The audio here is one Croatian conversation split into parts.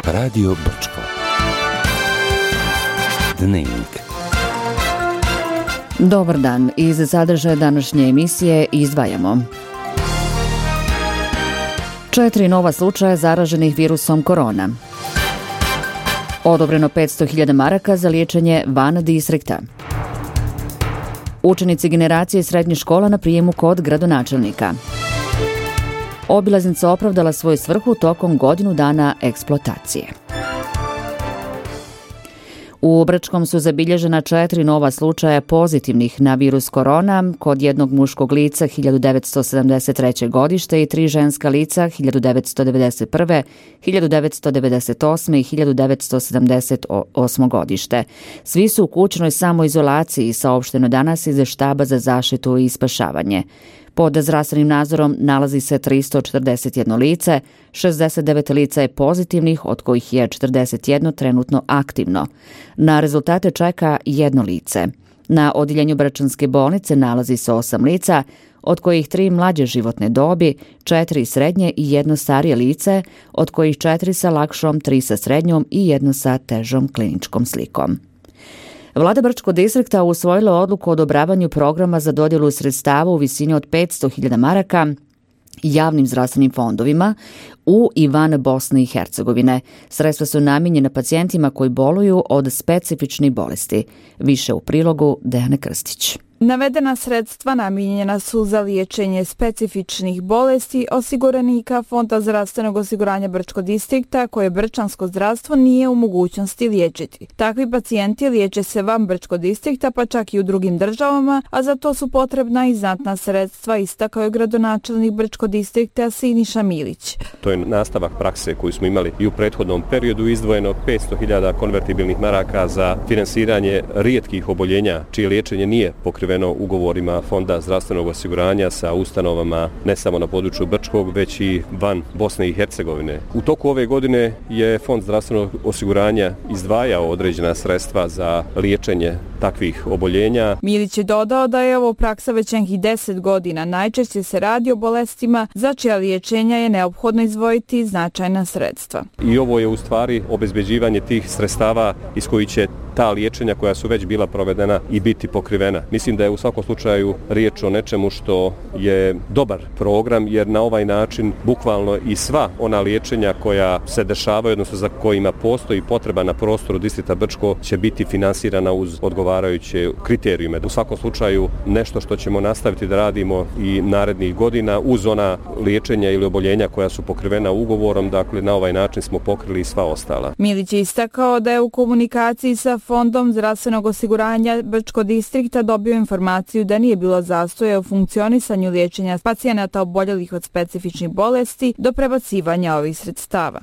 Radio Brčko. Dnevnik. Dobar dan. Iz sadržaja današnje emisije izdvajamo 4 nova slučaja zaraženih virusom korona. Odobreno 500.000 maraka za liječenje van distrikta. Učenici generacije srednjih škola na prijemu kod gradonačelnika. Obilaznica opravdala svoju svrhu tokom godinu dana eksploatacije. U Brčkom su zabilježena 4 nova slučaja pozitivnih na virus korona, kod jednog muškog lica 1973. godište i 3 ženska lica 1991., 1998. i 1978. godište. Svi su u kućnoj samoizolaciji, saopšteno danas iz štaba za zaštitu i spašavanje. Pod zdravstvenim nadzorom nalazi se 341 lice, 69 lica je pozitivnih, od kojih je 41 trenutno aktivno. Na rezultate čeka 1 lice. Na odjeljenju Brčanske bolnice nalazi se 8 lica, od kojih 3 mlađe životne dobi, 4 srednje i 1 starije lice, od kojih 4 sa lakšom, 3 sa srednjom i 1 sa težom kliničkom slikom. Vlada Brčkog distrikta usvojila odluku o odobravanju programa za dodjelu sredstava u visini od 500.000 maraka javnim zdravstvenim fondovima u i van Bosne i Hercegovine. Sredstva su namijenjena pacijentima koji boluju od specifičnih bolesti. Više u prilogu Dejane Krstić. Navedena sredstva namijenjena su za liječenje specifičnih bolesti osiguranika Fonda zdravstvenog osiguranja Brčkog distrikta koje Brčansko zdravstvo nije u mogućnosti liječiti. Takvi pacijenti liječe se van Brčkog distrikta pa čak i u drugim državama, a za to su potrebna i znatna sredstva, istakao je gradonačelnik Brčkog distrikta Siniša Milić. To je nastavak prakse koju smo imali i u prethodnom periodu, izdvojeno 500.000 konvertibilnih maraka za finansiranje rijetkih oboljenja čije liječenje nije pokriveno ugovorima Fonda zdravstvenog osiguranja sa ustanovama ne samo na području Brčkog, već i van Bosne i Hercegovine. U toku ove godine je Fond zdravstvenog osiguranja izdvajao određena sredstva za liječenje takvih oboljenja. Milić je dodao da je ovo praksa već nekih 10 godina. Najčešće se radi o bolestima za čija liječenja je neophodno izdvojiti značajna sredstva. I ovo je u stvari obezbeđivanje tih sredstava iz kojih će ta liječenja koja su već bila provedena i biti pokrivena. Mislim da je u svakom slučaju riječ o nečemu što je dobar program, jer na ovaj način bukvalno i sva ona liječenja koja se dešavaju, odnosno za kojima postoji potreba na prostoru distrikta Brčko, će biti finansirana uz odgovarajuće kriterijume. U svakom slučaju nešto što ćemo nastaviti da radimo i narednih godina uz ona liječenja ili oboljenja koja su pokrivena ugovorom, dakle na ovaj način smo pokrili i sva ostala. Milić je istakao da je u komunikaciji sa Fondom zdravstvenog osiguranja Brčkog distrikta dobio informaciju da nije bilo zastoja u funkcionisanju liječenja pacijenata oboljelih od specifičnih bolesti do prebacivanja ovih sredstava.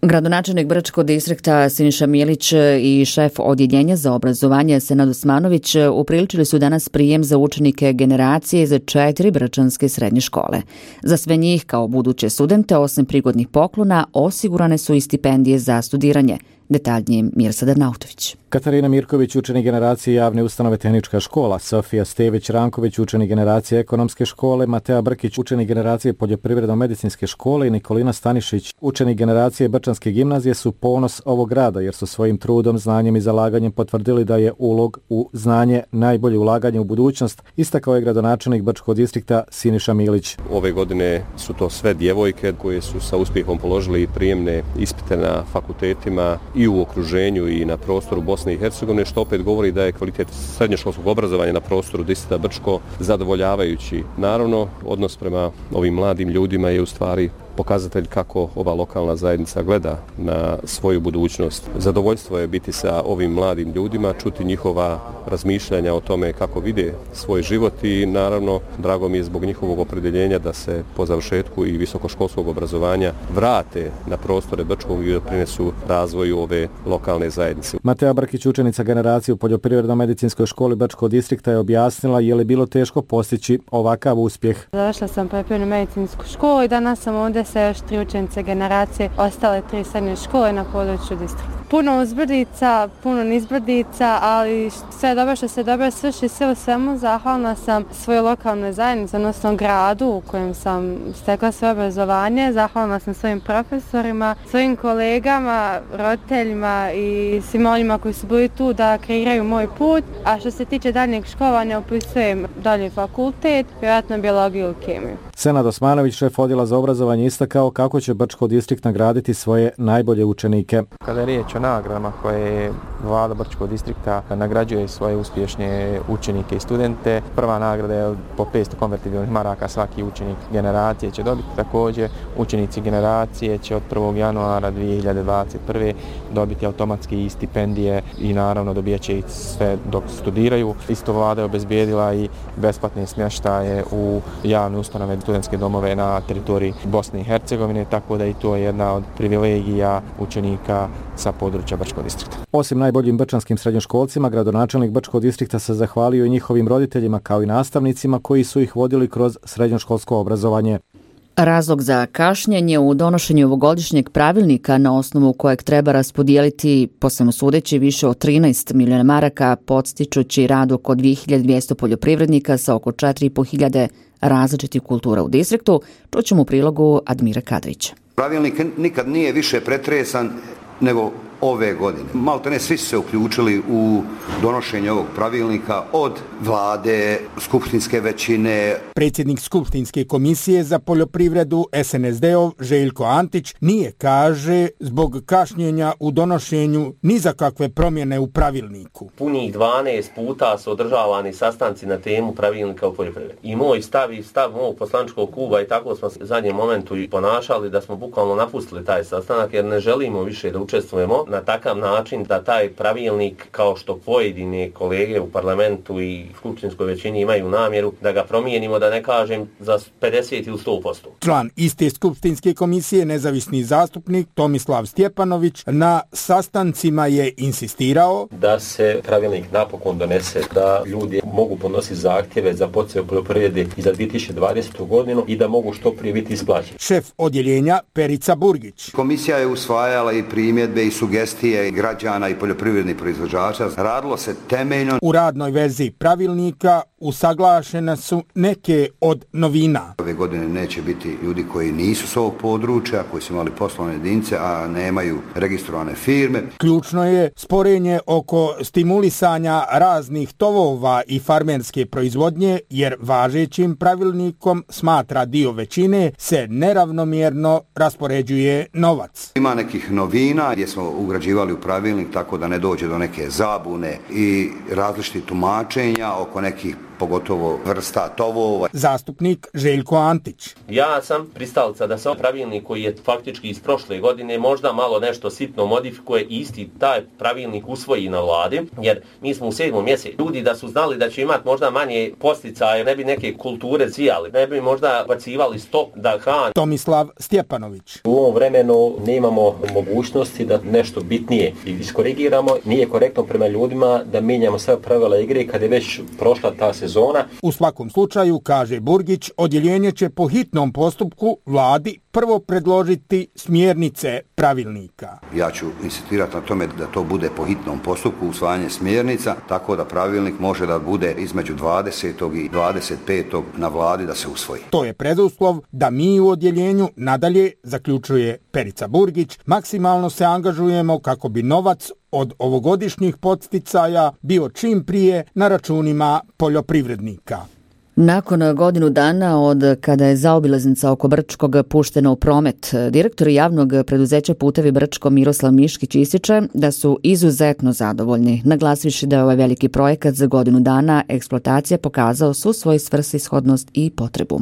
Gradonačelnik Brčkog distrikta Siniša Milić i šef odjeljenja za obrazovanje Senad Osmanović upriličili su danas prijem za učenike generacije za 4 brčanske srednje škole. Za sve njih kao buduće studente, osim prigodnih poklona, osigurane su i stipendije za studiranje. Detaljnije Mirsad Nautović. Katarina Mirković, učenik generacije javne ustanove Tehnička škola, Sofija Stević-Ranković, učenik generacije ekonomske škole, Matea Brkić, učenik generacije poljoprivredno-medicinske škole i Nikolina Stanišić, učenik generacije Brčanske gimnazije su ponos ovog grada jer su svojim trudom, znanjem i zalaganjem potvrdili da je ulog u znanje najbolje ulaganje u budućnost, istakao je gradonačelnik Brčkog distrikta Siniša Milić. Ove godine su to sve djevojke koje su sa uspjehom položili prijemne ispite na fakultetima i u okruženju i na prostoru Bosne i Hercegovine, što opet govori da je kvalitet srednjoškolskog obrazovanja na prostoru distrikta Brčko zadovoljavajući. Naravno, odnos prema ovim mladim ljudima je u stvari pokazatelj kako ova lokalna zajednica gleda na svoju budućnost. Zadovoljstvo je biti sa ovim mladim ljudima, čuti njihova razmišljanja o tome kako vide svoj život i naravno drago mi je zbog njihovog opredjeljenja da se po završetku i visokoškolskog obrazovanja vrate na prostore Brčkog i doprinesu razvoju ove lokalne zajednice. Matea Brkić, učenica generacije u poljoprivredno-medicinskoj školi Brčkog distrikta, je objasnila je li bilo teško postići ovakav uspjeh. Završila sam poljoprivredno-medicinsku školu i danas sam ovdje sa još 3 učenice generacije ostale 3 srednje škole na području distrikta. Puno uzbrdica, puno nizbrdica, ali sve je dobro što se dobro svrši, sve u svemu zahvalna sam svojoj lokalnoj zajednici, odnosno gradu u kojem sam stekla svoje obrazovanje. Zahvalna sam svojim profesorima, svojim kolegama, roditeljima i svima onima koji su bili tu da kreiraju moj put. A što se tiče daljnjeg školovanja, upisujem dalji fakultet, vjerojatno biologiju i kemiju. Senad Osmanović, šef odjela za obrazovanje, istakao kako će Brčko distrikt nagraditi svoje najbolje učenike. Kada je riječ o nagradama koje vlada Brčkog distrikta nagrađuje svoje uspješne učenike i studente, prva nagrada je po 500 konvertibilnih maraka svaki učenik generacije će dobiti. Također učenici generacije će od 1. januara 2021. dobiti automatski stipendije i naravno dobijat će ih sve dok studiraju. Isto vlada je obezbijedila i besplatne smještaje u javne ustanove, studentske domove na teritoriji Bosne i Hercegovine, tako da i to je jedna od privilegija učenika sa područja Brčkog distrikta. Osim najboljim brčanskim srednjoškolcima, gradonačelnik Brčkog distrikta se zahvalio i njihovim roditeljima kao i nastavnicima koji su ih vodili kroz srednjoškolsko obrazovanje. Razlog za kašnjenje u donošenju ovogodišnjeg pravilnika na osnovu kojeg treba raspodijeliti, po svemu sudeći, više od 13 miliona maraka, podstičući rad oko 2200 poljoprivrednika sa oko 4.500 različitih kultura u distriktu, čućemo u prilogu Admira Kadrića. Pravilnik nikad nije više pretresan nego ove godine. Maltene svi su se uključili u donošenje ovog pravilnika, od vlade, skupštinske većine. Predsjednik skupštinske komisije za poljoprivredu SNSD-ov Željko Antić nije, kaže, zbog kašnjenja u donošenju ni za kakve promjene u pravilniku. Punih 12 puta su održavani sastanci na temu pravilnika u poljoprivredi. I moj stav i stav mog poslančkog kluba i tako smo se u zadnjem momentu i ponašali da smo bukvalno napustili taj sastanak jer ne želimo više da učestvujemo na takav način da taj pravilnik, kao što pojedine kolege u parlamentu i skupštinskoj većini imaju namjeru da ga promijenimo, da ne kažem za 50 ili 100%. Član iste skupštinske komisije, nezavisni zastupnik Tomislav Stjepanović, na sastancima je insistirao da se pravilnik napokon donese, da ljudi mogu podnositi zahtjeve za poticaje u poljoprivredi i za 2020. godinu i da mogu što prije biti isplaćeni. Šef odjeljenja Perica Burgić. Komisija je usvajala i primjedbe i sugestije građana i poljoprivrednih proizvođača. Radilo se temeljno. U radnoj verziji pravilnika usaglašene su neke od novina. Ove godine neće biti ljudi koji nisu s ovog područja, koji su imali poslovne jedinice, a nemaju registrovane firme. Ključno je sporenje oko stimulisanja raznih tovova i farmerske proizvodnje, jer važećim pravilnikom, smatra dio većine, se neravnomjerno raspoređuje novac. Ima nekih novina gdje smo ugrađivali u pravilnik tako da ne dođe do neke zabune i različitih tumačenja oko nekih pogotovo vrsta tovova. Zastupnik Željko Antić. Ja sam pristalica da se pravilnik koji je faktički iz prošle godine možda malo nešto sitno modifikuje i isti taj pravilnik usvoji na vladi, jer mi smo u 7. mjesecu. Ljudi da su znali da će imati možda manje posticaje, ne bi neke kulture zijali, ne bi možda bacivali stop da hrane. Tomislav Stjepanović. U ovom vremenu nemamo mogućnosti da nešto bitnije iskorigiramo. Nije korektno prema ljudima da mijenjamo sve pravila igre kad je već prošla ta sezona. U svakom slučaju, kaže Burgić, odjeljenje će po hitnom postupku vladi prvo predložiti smjernice pravilnika. Ja ću insistirati na tome da to bude po hitnom postupku usvajanje smjernica, tako da pravilnik može da bude između 20. i 25. na vladi da se usvoji. To je preduslov da mi u odjeljenju nadalje, zaključuje Perica Burgić, maksimalno se angažujemo kako bi novac od ovogodišnjih podsticaja bio čim prije na računima poljoprivrednika. Nakon godinu dana od kada je zaobilaznica oko Brčkog puštena u promet, direktor javnog preduzeća Putevi Brčko Miroslav Miškić ističe da su izuzetno zadovoljni, naglasivši da je ovaj veliki projekat za godinu dana eksploatacije pokazao svu svoju svrsishodnost i potrebu.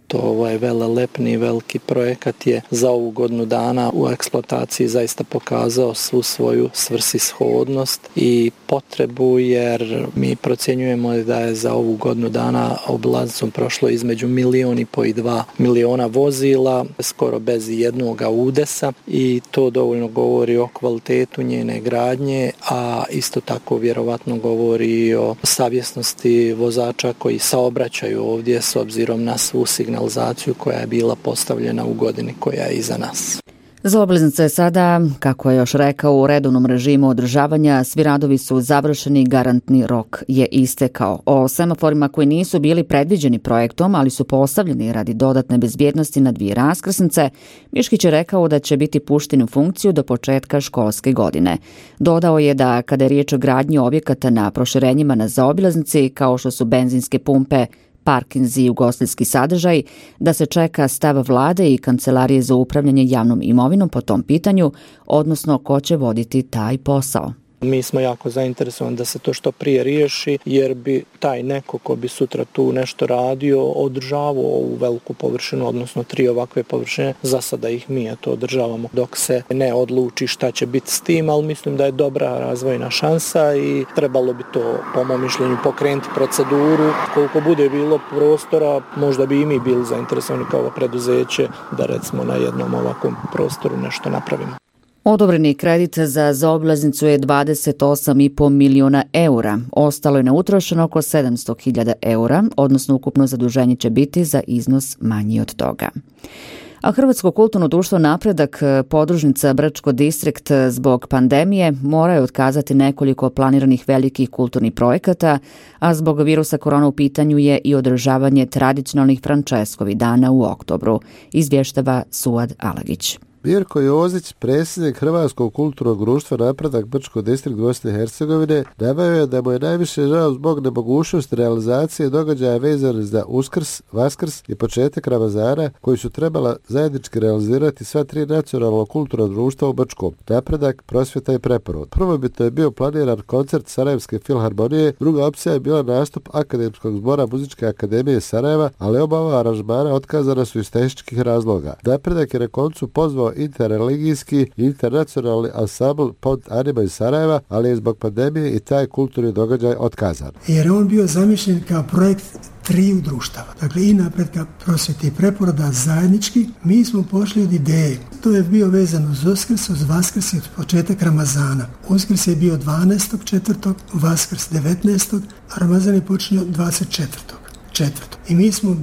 To ovaj velelepni veliki projekat je za ovu godinu dana u eksploataciji zaista pokazao svu svoju svrsishodnost i potrebu, jer mi procjenjujemo da je za ovu godinu dana obilaznicom prošlo između 1,5 milijuna i 2 miliona vozila, skoro bez jednog udesa, i to dovoljno govori o kvalitetu njene gradnje, a isto tako vjerovatno govori o savjesnosti vozača koji saobraćaju ovdje s obzirom na svu signalizaciju signalizaciju koja je bila postavljena u godini koja je iza nas. Zaobilaznica je sada, kako je još rekao, u redovnom režimu održavanja, svi radovi su završeni, garantni rok je istekao. O semaforima koji nisu bili predviđeni projektom, ali su postavljeni radi dodatne bezbjednosti na 2 raskrsnice, Miškić je rekao da će biti pušteni u funkciju do početka školske godine. Dodao je da kada je riječ o gradnji objekata na proširenjima na zaobilaznici, kao što su benzinske pumpe, parkinzi i ugostiteljski sadržaj, da se čeka stav vlade i Kancelarije za upravljanje javnom imovinom po tom pitanju, odnosno ko će voditi taj posao. Mi smo jako zainteresovani da se to što prije riješi, jer bi taj neko ko bi sutra tu nešto radio održavao ovu veliku površinu, odnosno 3 ovakve površine. Za sada ih mi to održavamo dok se ne odluči šta će biti s tim, ali mislim da je dobra razvojna šansa i trebalo bi to, po mom mišljenju, pokrenuti proceduru. Koliko bude bilo prostora, možda bi i mi bili zainteresovani kao preduzeće da recimo na jednom ovakvom prostoru nešto napravimo. Odobreni kredit za zaobilaznicu je 28,5 milijuna eura. Ostalo je neutrošeno oko 700.000 eura, odnosno ukupno zaduženje će biti za iznos manji od toga. A Hrvatsko kulturno društvo Napredak, podružnica Brčko distrikt, zbog pandemije moraju otkazati nekoliko planiranih velikih kulturnih projekata, a zbog virusa korona u pitanju je i održavanje tradicionalnih Frančeskovi dana u oktobru, izvještava Suad Alagić. Mirko Jozić, predsjednik Hrvatskog kulturnog društva Napredak Brčko distrikt Bosne i Hercegovine, naveo je da mu je najviše žao zbog nemogućnosti realizacije događaja vezanih za Uskrs, Vaskrs i početak Ramazana, koji su trebala zajednički realizirati sva 3 nacionalna kulturna društva u Brčkom: Napredak, Prosvjeta i Preporod. Prvobitno je bio planiran koncert Sarajevske filharmonije, druga opcija je bila nastup Akademskog zbora Muzičke akademije Sarajeva, ali oba ova aranžmana otkazana su iz tehničkih razloga. Napredak je na koncu pozvao interreligijski i internacionalni ansambl Pont Anima iz Sarajeva, ali je zbog pandemije i taj kulturni događaj otkazan. Jer on bio zamišljen kao projekt 3 društava. Dakle, i Napretka, Prosvjete i Preporoda zajednički. Mi smo pošli od ideje. To je bio vezano uz Uskrs, uz Vaskrs i početak Ramazana. Uskrs je bio 12.4., Vaskrs 19., a Ramazan je počinio 24. I mi smo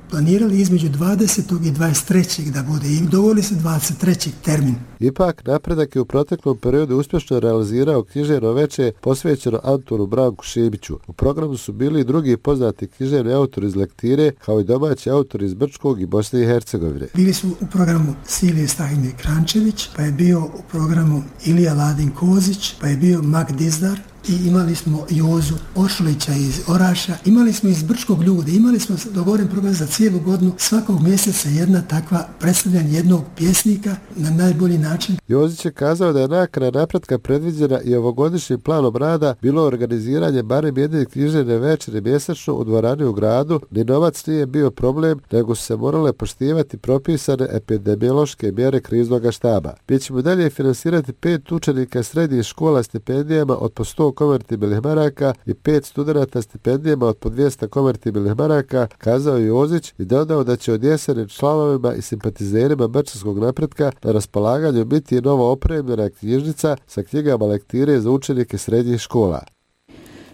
planirali između 20. i 23. da bude i dogovorili se 23. termin. Ipak, Napredak je u proteklom periodu uspješno realizirao književno veče posvećeno Antunu Branku Šibiću. U programu su bili i drugi poznati književni autori iz lektire, kao i domaći autori iz Brčkog i Bosne i Hercegovine. Bili su u programu Silije Stahimir Krančević, pa je bio u programu Ilija Ladin Kozić, pa je bio Mak Dizdar, i imali smo Jozu Ošulića iz Oraša, imali smo iz Brčkog ljude, imali smo dogovoren program za cijelu godinu, svakog mjeseca jedna takva predstavljanja jednog pjesnika na najbolji način. Jozić je kazao da je nakana Napretka predviđena i ovogodišnjim planom rada bilo organiziranje barem jedne književne večere mjesečno u dvorani u gradu, ni novac nije bio problem, nego su se morale poštivati propisane epidemiološke mjere kriznog štaba. Mi ćemo dalje finansirati 5 učenika srednjih škola stipendijama od po 100 konvertibilnih maraka i 5 studenata stipendijama od po 200 konvertibilnih maraka, kazao je Jozić i dodao da će od jeseni članovima i simpatizerima Brčanskog Napretka na raspolaganju biti i novo opremljena knjižnica sa knjigama lektire za učenike srednjih škola.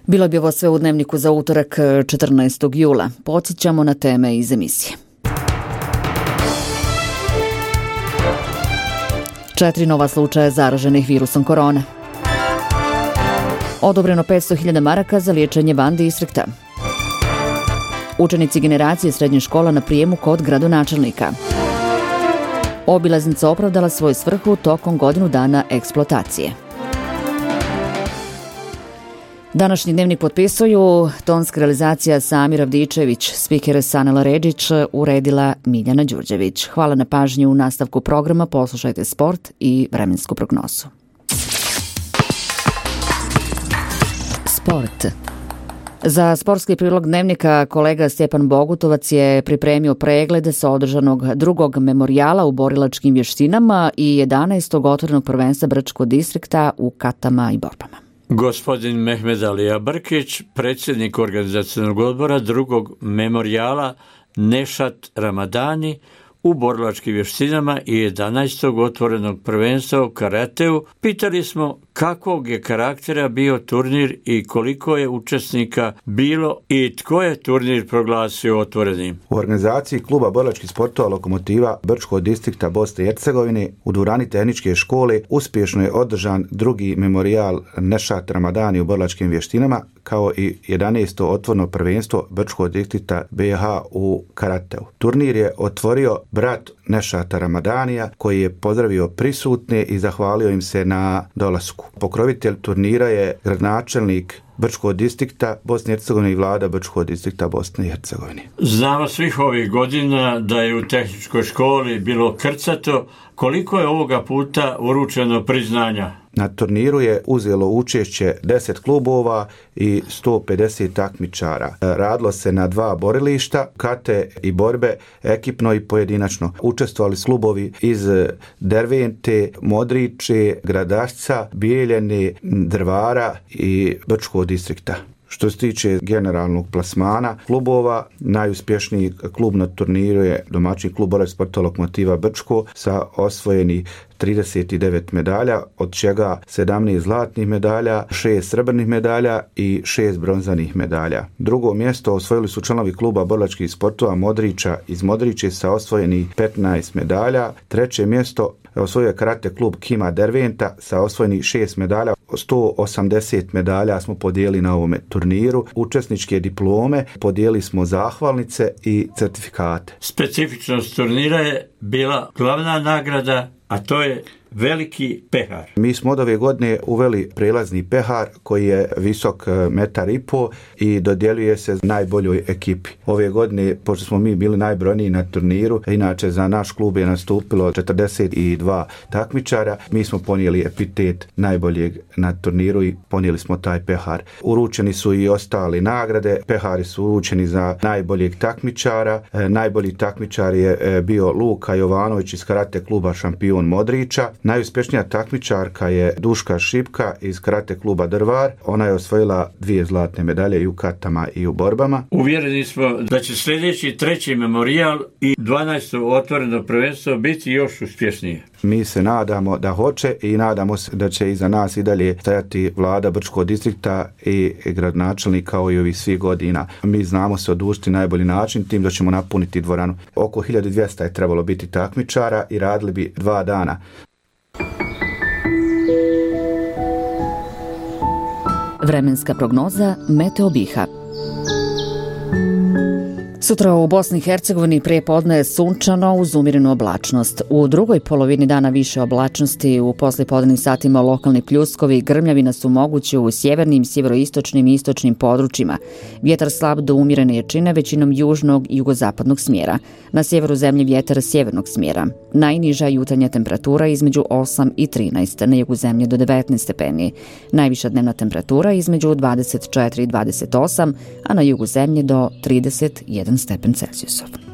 Bilo bi ovo sve u Dnevniku za utorak 14. jula. Podsjećamo na teme iz emisije. 4 nova slučaja zaraženih virusom korona. Odobreno 500.000 maraka za liječenje van distrikta. Učenici generacije srednje škola na prijemu kod gradonačelnika. Obilaznica opravdala svoju svrhu tokom godinu dana eksploatacije. Današnji dnevnik potpisuju tonska realizacija Samir Avdičević, spiker Sanela Redžić, uredila Miljana Đurđević. Hvala na pažnju. U nastavku programa poslušajte sport i vremensku prognozu. Sport. Za sportski prilog dnevnika kolega Stjepan Bogutovac je pripremio pregled sa održanog drugog memorijala u borilačkim vještinama i 11. otvorenog prvenstva Brčkog distrikta u katama i borbama. Gospodin Mehmed Alija Brkić, predsjednik organizacionog odbora drugog memorijala Nešat Ramadani u borilačkim vještinama i 11. otvorenog prvenstva u karateu, pitali smo kakvog je karaktera bio turnir i koliko je učesnika bilo i tko je turnir proglasio otvorenim? U organizaciji kluba borilačkih sportova Lokomotiva Brčkog distrikta Bosne i Hercegovine u dvorani tehničke škole uspješno je održan drugi memorijal Nešat Ramadani u borilačkim vještinama, kao i 11. otvoreno prvenstvo Brčkog distrikta BiH u karateu. Turnir je otvorio brat Nešata Ramadanija, koji je pozdravio prisutne i zahvalio im se na dolasku. Pokrovitelj turnira je gradonačelnik Brčkog distrikta Bosne i Hercegovine i vlada Brčkog distrikta Bosne i Hercegovine. Znamo svih ovih godina da je u tehničkoj školi bilo krcato. Koliko je ovoga puta uručeno priznanja? Na turniru je uzelo učešće 10 klubova i 150 takmičara. Radilo se na 2 borilišta, kate i borbe, ekipno i pojedinačno. Učestvovali su klubovi iz Dervente, Modriče, Gradašca, Bijeljene, Drvara i Brčkog distrikta. Što se tiče generalnog plasmana klubova, najuspješniji klub na turniru je domaćin klub borilačkih sportova Lokomotiva Brčko sa osvojeni 39 medalja, od čega 17 zlatnih medalja, 6 srebrnih medalja i 6 bronzanih medalja. Drugo mjesto osvojili su članovi kluba borilačkih sportova Modriča iz Modriče sa osvojeni 15 medalja. Treće mjesto osvojio je karate klub Kima Derventa sa osvojeni 6 medalja. 180 medalja smo podijelili na ovome turniru. Učesničke diplome podijelili smo zahvalnice i certifikate. Specifičnost turnira je bila glavna nagrada, a to je veliki pehar. Mi smo od ove godine uveli prelazni pehar koji je visok 1,5 m i dodjeljuje se najboljoj ekipi. Ove godine, pošto smo mi bili najbrojniji na turniru, inače za naš klub je nastupilo 42 takmičara, mi smo ponijeli epitet najboljeg na turniru i ponijeli smo taj pehar. Uručeni su i ostali nagrade, pehari su uručeni za najboljeg takmičara. Najbolji takmičar je bio Luka Jovanović iz karate kluba Šampion Modriča. Najuspješnija takmičarka je Duška Šipka iz karate kluba Drvar. Ona je osvojila 2 zlatne medalje i u katama i u borbama. Uvjereni smo da će sljedeći 3. memorijal i 12. otvoreno prvenstvo biti još uspješnije. Mi se nadamo da hoće i nadamo se da će iza nas i dalje stajati vlada Brčkog distrikta i gradonačelnik kao i ovih svih godina. Mi znamo se odužiti najbolji način tim da ćemo napuniti dvoranu. Oko 1200 je trebalo biti takmičara i radili bi 2 dana. Vremenska prognoza Meteo Biha. Sutra u Bosni i Hercegovini prepodne je sunčano uz umjerenu oblačnost. U drugoj polovini dana više oblačnosti, u poslijepodnevnim satima lokalni pljuskovi i grmljavina su mogući u sjevernim, sjeveroistočnim i istočnim područjima. Vjetar slab do umjerene jačine, većinom južnog i jugozapadnog smjera. Na sjeveru zemlje vjetar sjevernog smjera. Najniža jutarnja temperatura između 8 i 13, na jugu zemlje do 19 stepeni. Najviša dnevna temperatura između 24 i 28, a na jugu zemlje do 31 stepen Celzijusov.